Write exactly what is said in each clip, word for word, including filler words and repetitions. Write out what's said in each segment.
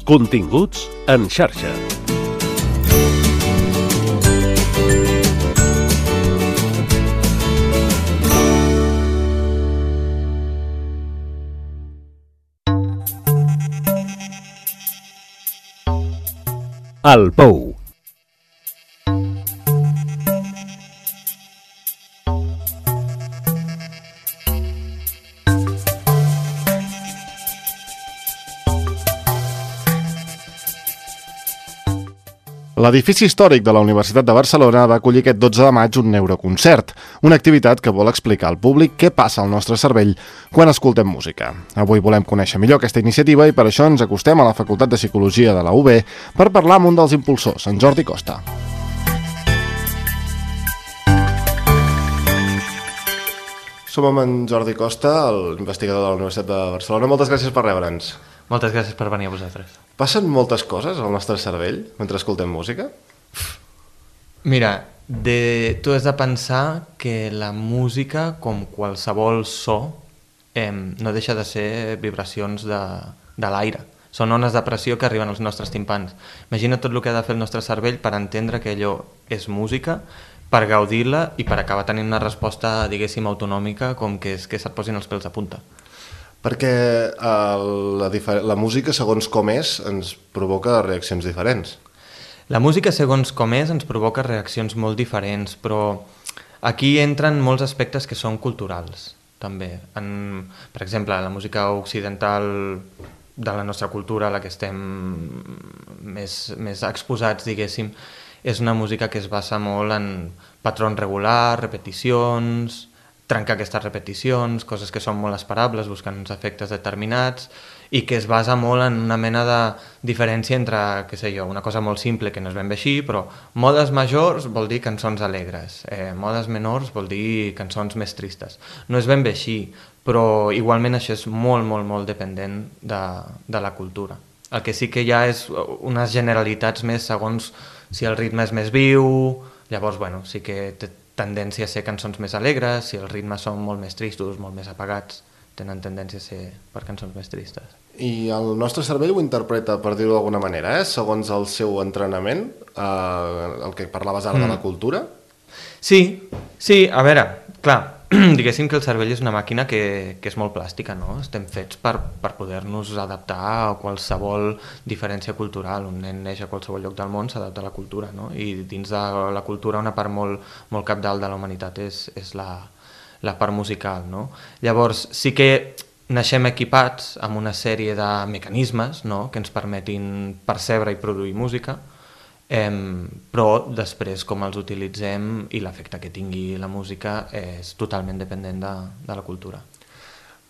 Continguts en xarxa. El Pou. L'edifici històric de la Universitat de Barcelona va acollir aquest dotze de maig un neuroconcert, una activitat que vol explicar al públic què passa al nostre cervell quan escoltem música. Avui volem conèixer millor aquesta iniciativa i per això ens acostem a la Facultat de Psicologia de la U B per parlar amb un dels impulsors, en Jordi Costa. Som amb en Jordi Costa, l'investigador de la Universitat de Barcelona. Moltes gràcies per rebre'ns. Moltes gràcies per venir a vosaltres. Passen moltes coses al nostre cervell mentre escoltem música? Mira, de... tu has de pensar que la música, com qualsevol so, eh, no deixa de ser vibracions de, de l'aire. Són ones de pressió que arriben als nostres timpans. Imagina tot el que ha de fer el nostre cervell per entendre que allò és música, per gaudir-la i per acabar tenint una resposta, diguéssim, autonòmica, com que és que se't posin els pèls de punta. Perquè eh, la, la música, segons com és, ens provoca reaccions diferents. La música, segons com és, ens provoca reaccions molt diferents, però aquí entren molts aspectes que són culturals, també. En, per exemple, la música occidental de la nostra cultura, a la que estem més, més exposats, diguéssim, és una música que es basa molt en patrons regulars, repeticions, trencar aquestes repeticions, coses que són molt esperables, buscant uns efectes determinats, i que es basa molt en una mena de diferència entre, què sé jo, una cosa molt simple que no és ben bé així, però modes majors vol dir cançons alegres, eh, modes menors vol dir cançons més tristes. No és ben bé així, però igualment això és molt, molt, molt dependent de, de la cultura. El que sí que hi ha és unes generalitats més segons si el ritme és més viu, llavors, bueno, sí que té tendència a ser cançons més alegres, si els ritmes són molt més tristos, molt més apagats, tenen tendència a ser per cançons més tristes. I el nostre cervell ho interpreta, per dir-ho d'alguna manera, eh? Segons el seu entrenament, eh, el que parlaves ara mm. de la cultura? Sí, sí, a veure, clar, diguéssim que el cervell és una màquina que, que és molt plàstica, no? Estem fets per, per poder-nos adaptar a qualsevol diferència cultural. Un nen neix a qualsevol lloc del món, s'adapta a la cultura, no? I dins de la cultura una part molt, molt cabdal de la humanitat és, és la, la part musical, no? Llavors, sí que naixem equipats amb una sèrie de mecanismes, no?, que ens permetin percebre i produir música, Eh, però després com els utilitzem i l'efecte que tingui la música és totalment dependent de, de la cultura.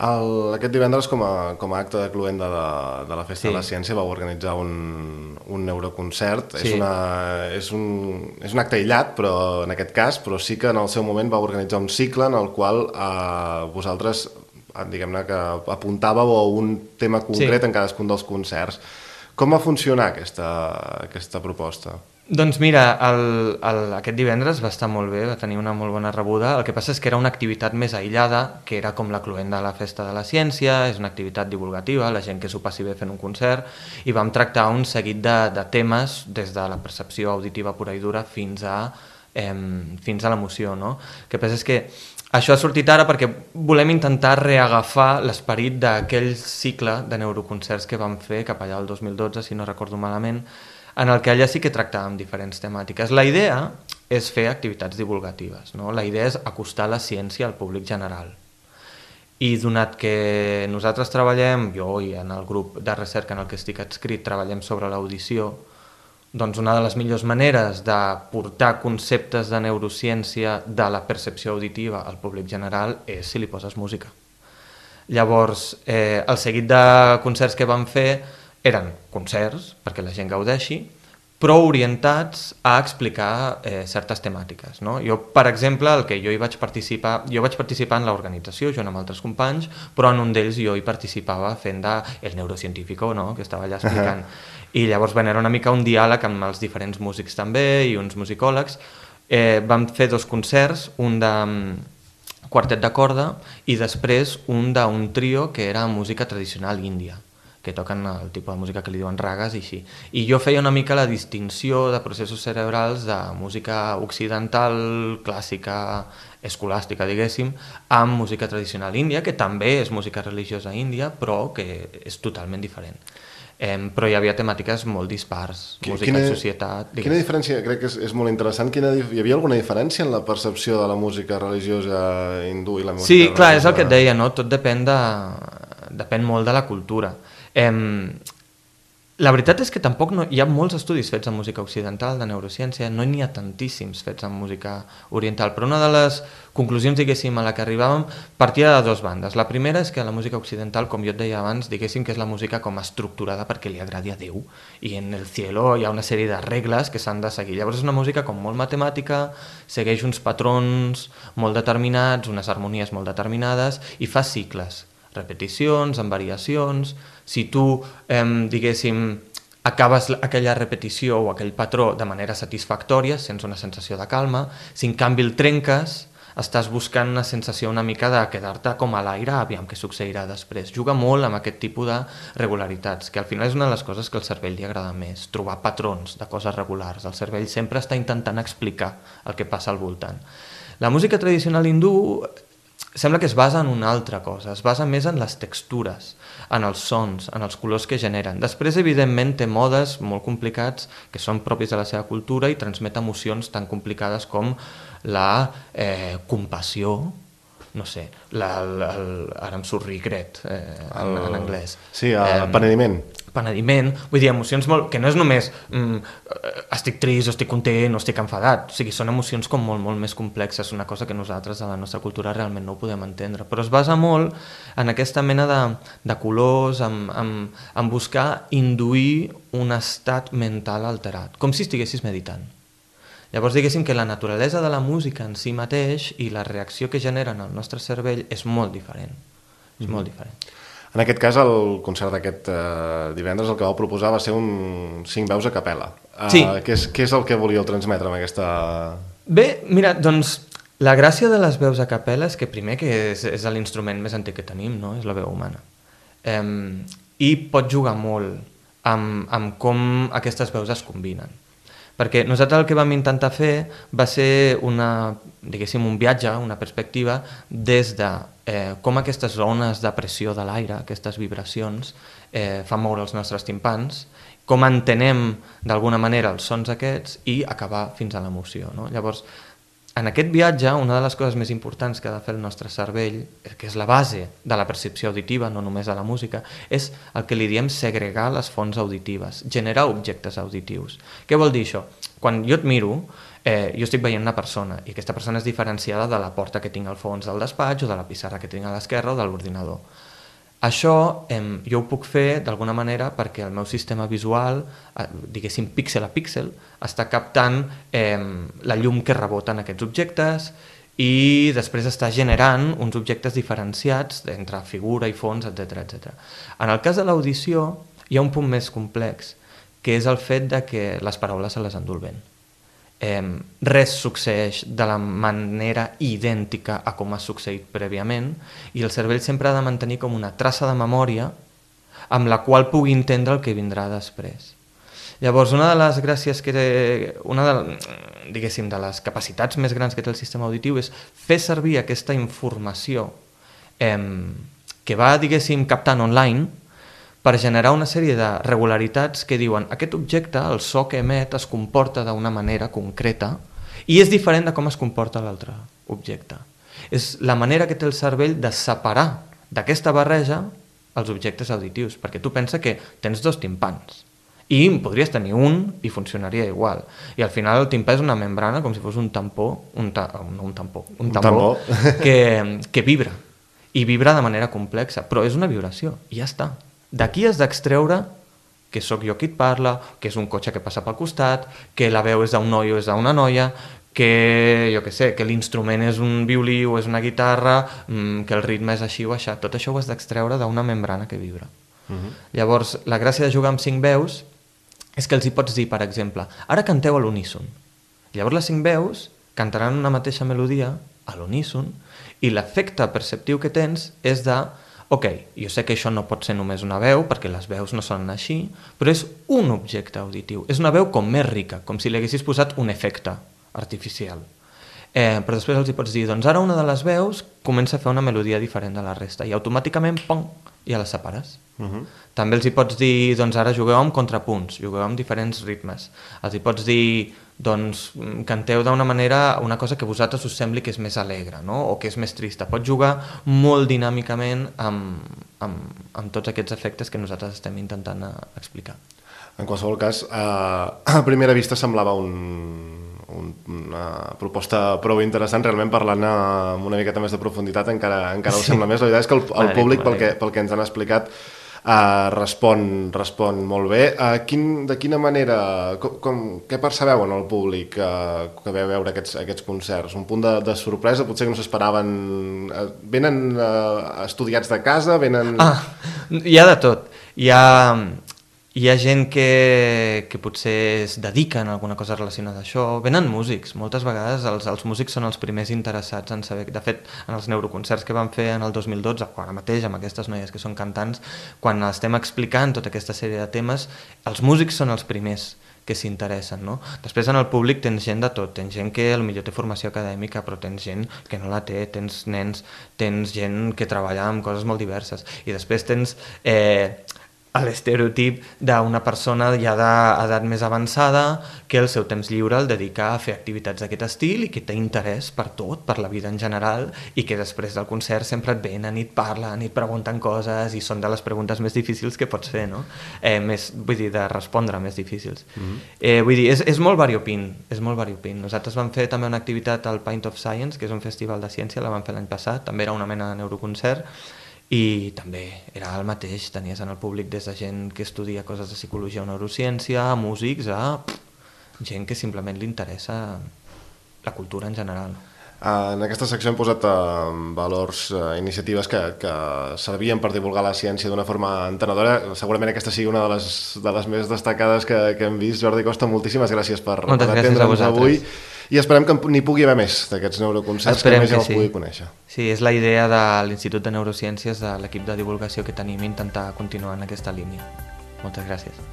El, aquest divendres, com a, com a acte de cloenda de, de la Festa sí. de la Ciència, vau organitzar un, un neuroconcert. Sí. És, una, és, un, és un acte aïllat, però en aquest cas, però sí que en el seu moment vau organitzar un cicle en el qual eh, vosaltres, diguem-ne, que apuntàveu a un tema concret sí. en cadascun dels concerts. Com va funcionar aquesta, aquesta proposta? Doncs mira, el, el, aquest divendres va estar molt bé, va tenir una molt bona rebuda. El que passa és que era una activitat més aïllada, que era com la cloenda de la Festa de la Ciència, és una activitat divulgativa, la gent que s'ho passi bé fent un concert, i vam tractar un seguit de, de temes, des de la percepció auditiva pura i dura fins a, eh, fins a l'emoció, no? El que passa és que això ha sortit ara perquè volem intentar reagafar l'esperit d'aquell cicle de neuroconcerts que vam fer cap allà el dos mil dotze, si no recordo malament, en el que allà sí que tractàvem diferents temàtiques. La idea és fer activitats divulgatives, no? La idea és acostar la ciència al públic general. I donat que nosaltres treballem, jo i en el grup de recerca en el que estic adscrit, treballem sobre l'audició, doncs una de les millors maneres de portar conceptes de neurociència de la percepció auditiva al públic general és si li poses música. Llavors, eh, el seguit de concerts que vam fer eren concerts, perquè la gent gaudeixi, però orientats a explicar eh, certes temàtiques, no? Jo, per exemple, el que jo hi vaig participar, jo vaig participar en l'organització, jo amb altres companys, però en un d'ells jo hi participava fent de el neurocientífico, no?, que estava allà explicant. I llavors bueno, era una mica un diàleg amb els diferents músics també i uns musicòlegs. Eh, vam fer dos concerts, un de quartet de corda i després un d'un trio que era música tradicional índia. que toquen el tipus de música que li diuen ragas i així. I jo feia una mica la distinció de processos cerebrals de música occidental, clàssica, escolàstica, diguéssim, amb música tradicional índia, que també és música religiosa índia, però que és totalment diferent. Eh, però hi havia temàtiques molt dispars, música quina, i societat... Digues. Quina diferència, crec que és, és molt interessant, quina, hi havia alguna diferència en la percepció de la música religiosa hindú i la música Sí, religiosa... clar, és el que et deia, no? Tot depèn, de, depèn molt de la cultura. Eh, la veritat és que tampoc no, hi ha molts estudis fets en música occidental, de neurociència, no n'hi ha tantíssims fets en música oriental, però una de les conclusions, diguéssim, a la que arribàvem partia de dues bandes. La primera és que la música occidental, com jo et deia abans, diguéssim que és la música com estructurada perquè li agradi a Déu, i en el cielo hi ha una sèrie de regles que s'han de seguir. Llavors és una música com molt matemàtica, segueix uns patrons molt determinats, unes harmonies molt determinades, i fa cicles, repeticions, amb variacions. Si tu, eh, diguéssim, acabes aquella repetició o aquell patró de manera satisfactòria, sents una sensació de calma. Si en canvi el trenques, estàs buscant una sensació una mica de quedar-te com a l'aire, aviam què succeirà després. Juga molt amb aquest tipus de regularitats, que al final és una de les coses que al cervell li agrada més, trobar patrons de coses regulars. El cervell sempre està intentant explicar el que passa al voltant. La música tradicional hindú sembla que es basa en una altra cosa, es basa més en les textures, en els sons, en els colors que generen. Després, evidentment, té modes molt complicats que són propis de la seva cultura i transmet emocions tan complicades com la eh, compassió, no sé, la, la, el, ara em surt regret eh, en, en anglès. Sí, el eh, penediment. penediment, vull dir, emocions molt... que no és només mm, estic trist o estic content o estic enfadat, o sigui, són emocions com molt, molt més complexes, una cosa que nosaltres a la nostra cultura realment no ho podem entendre, però es basa molt en aquesta mena de, de colors, en, en, en buscar induir un estat mental alterat, com si estiguessis meditant. Llavors diguéssim que la naturalesa de la música en si mateix i la reacció que genera en el nostre cervell és molt diferent, és molt diferent. En aquest cas, el concert d'aquest eh, divendres el que vau proposar va ser un cinc veus a capella. Uh, sí. Què és, què és el que volíeu transmetre amb aquesta... Bé, mira, doncs la gràcia de les veus a capella és que primer que és, és l'instrument més antic que tenim, no? És la veu humana. Um, I pot jugar molt amb, amb com aquestes veus es combinen. Perquè nosaltres el que vam intentar fer va ser una, diguéssim, un viatge, una perspectiva des de eh, com aquestes ones de pressió de l'aire, aquestes vibracions, eh, fan moure els nostres timpans, com entenem d'alguna manera els sons aquests i acabar fins a l'emoció, no? Llavors, en aquest viatge, una de les coses més importants que ha de fer el nostre cervell, que és la base de la percepció auditiva, no només de la música, és el que li diem segregar les fonts auditives, generar objectes auditius. Què vol dir això? Quan jo et miro, eh, jo estic veient una persona, i aquesta persona és diferenciada de la porta que tinc al fons del despatx, o de la pissarra que tinc a l'esquerra, o de l'ordinador. Això eh, jo ho puc fer d'alguna manera perquè el meu sistema visual, eh, diguéssim píxel a píxel, està captant eh, la llum que rebota en aquests objectes i després està generant uns objectes diferenciats entre figura i fons, etcètera, etcètera. En el cas de l'audició hi ha un punt més complex, que és el fet de que les paraules se les endú el vent. Eh, res succeeix de la manera idèntica a com ha succeït prèviament i el cervell sempre ha de mantenir com una traça de memòria amb la qual pugui entendre el que vindrà després. Llavors, una de les gràcies que té, una de, diguéssim, de les capacitats més grans que té el sistema auditiu és fer servir aquesta informació eh, que va, diguéssim, captant online per generar una sèrie de regularitats que diuen aquest objecte, el so que emet, es comporta d'una manera concreta i és diferent de com es comporta l'altre objecte. És la manera que té el cervell de separar d'aquesta barreja els objectes auditius, perquè tu pensa que tens dos timpans i podries tenir un i funcionaria igual. I al final el timpà és una membrana com si fos un tampó, un, ta, no, un tampó, un tambor, un tambor. Que, que vibra, i vibra de manera complexa, però és una vibració, i ja està. D'aquí has d'extreure que sóc jo qui et parla, que és un cotxe que passa pel costat, que la veu és d'un noi o és d'una noia, que jo què sé, que l'instrument és un violí o és una guitarra, que el ritme és així o així. Tot això ho has d'extreure d'una membrana que vibra. Uh-huh. Llavors, la gràcia de jugar amb cinc veus és que els hi pots dir, per exemple, ara canteu a l'uníson. Llavors les cinc veus cantaran una mateixa melodia a l'uníson i l'efecte perceptiu que tens és de ok, jo sé que això no pot ser només una veu, perquè les veus no sonen així, però és un objecte auditiu, és una veu com més rica, com si li haguessis posat un efecte artificial. Eh, però després els hi pots dir, doncs ara una de les veus comença a fer una melodia diferent de la resta, i automàticament, pom, ja les separes. Uh-huh. També els hi pots dir, doncs ara jugueu amb contrapunts, jugueu amb diferents ritmes. Els hi pots dir, doncs canteu d'una manera una cosa que a vosaltres us sembli que és més alegre, no? O que és més trista. Pots jugar molt dinàmicament amb, amb, amb tots aquests efectes que nosaltres estem intentant explicar. En qualsevol cas, a, a primera vista semblava un... una proposta prou interessant, realment parlant amb una miqueta més de profunditat encara, encara ho sí. sembla més. La veritat és que el, el públic, pel que, pel que ens han explicat, uh, respon, respon molt bé. Uh, quin, de quina manera, com, com, què percebeu en el públic uh, que veu veure aquests, aquests concerts? Un punt de, de sorpresa, potser que no s'esperaven... Uh, venen uh, estudiats de casa, venen... Ah, hi ha de tot. Hi ha... Hi ha gent que, que potser es dediquen a alguna cosa relacionada a això. Venen músics. Moltes vegades els, els músics són els primers interessats en saber... De fet, en els neuroconcerts que vam fer en el dos mil dotze, ara mateix, amb aquestes noies que són cantants, quan estem explicant tota aquesta sèrie de temes, els músics són els primers que s'interessen, no? Després en el públic tens gent de tot, tens gent que potser té formació acadèmica, però tens gent que no la té, tens nens, tens gent que treballa amb coses molt diverses, i després tens... Eh, l'estereotip d'una persona ja d'edat més avançada que el seu temps lliure el dedica a fer activitats d'aquest estil i que té interès per tot, per la vida en general, i que després del concert sempre et venen i et parlen i et pregunten coses i són de les preguntes més difícils que pots fer, no? Eh, més, vull dir, de respondre més difícils. Mm-hmm. eh, vull dir, és, és molt variopint, és molt variopint. Nosaltres vam fer també una activitat al Pint of Science, que és un festival de ciència, la vam fer l'any passat, també era una mena de neuroconcert, i també era el mateix, tenies en el públic des de gent que estudia coses de psicologia o neurociència, a músics, a pff, gent que simplement li interessa la cultura en general. En aquesta secció hem posat uh, valors, uh, iniciatives que, que servien per divulgar la ciència d'una forma entenedora. Segurament aquesta sigui una de les, de les més destacades que, que hem vist. Jordi Costa, moltíssimes gràcies per, per atendre'ns avui. I esperem que n'hi pugui haver més d'aquests neuroconcerts, esperem que més gent sí. el pugui conèixer. Sí, és la idea de l'Institut de Neurociències, de l'equip de divulgació que tenim, intentar continuar en aquesta línia. Moltes gràcies.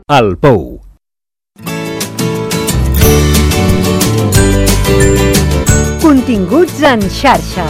El Pou. Continguts en xarxa.